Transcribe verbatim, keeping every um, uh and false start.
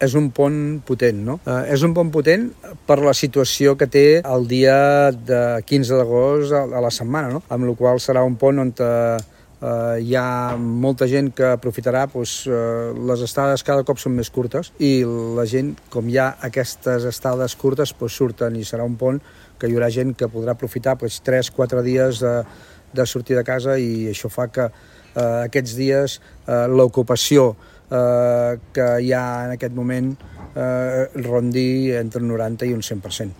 És un pont potent, no? Eh, és un pont potent per la situació que té el dia de quinze d'agost a, a la setmana, no? Amb la qual serà un pont on eh, hi ha molta gent que aprofitarà, doncs, eh, les estades cada cop són més curtes i la gent, com hi ha aquestes estades curtes, doncs surten i serà un pont que hi haurà gent que podrà aprofitar doncs, tres o quatre dies de, de sortir de casa i això fa que eh, aquests dies eh, l'ocupació eh, que hi ha en aquest moment eh, rondi entre un noranta i un cent per cent.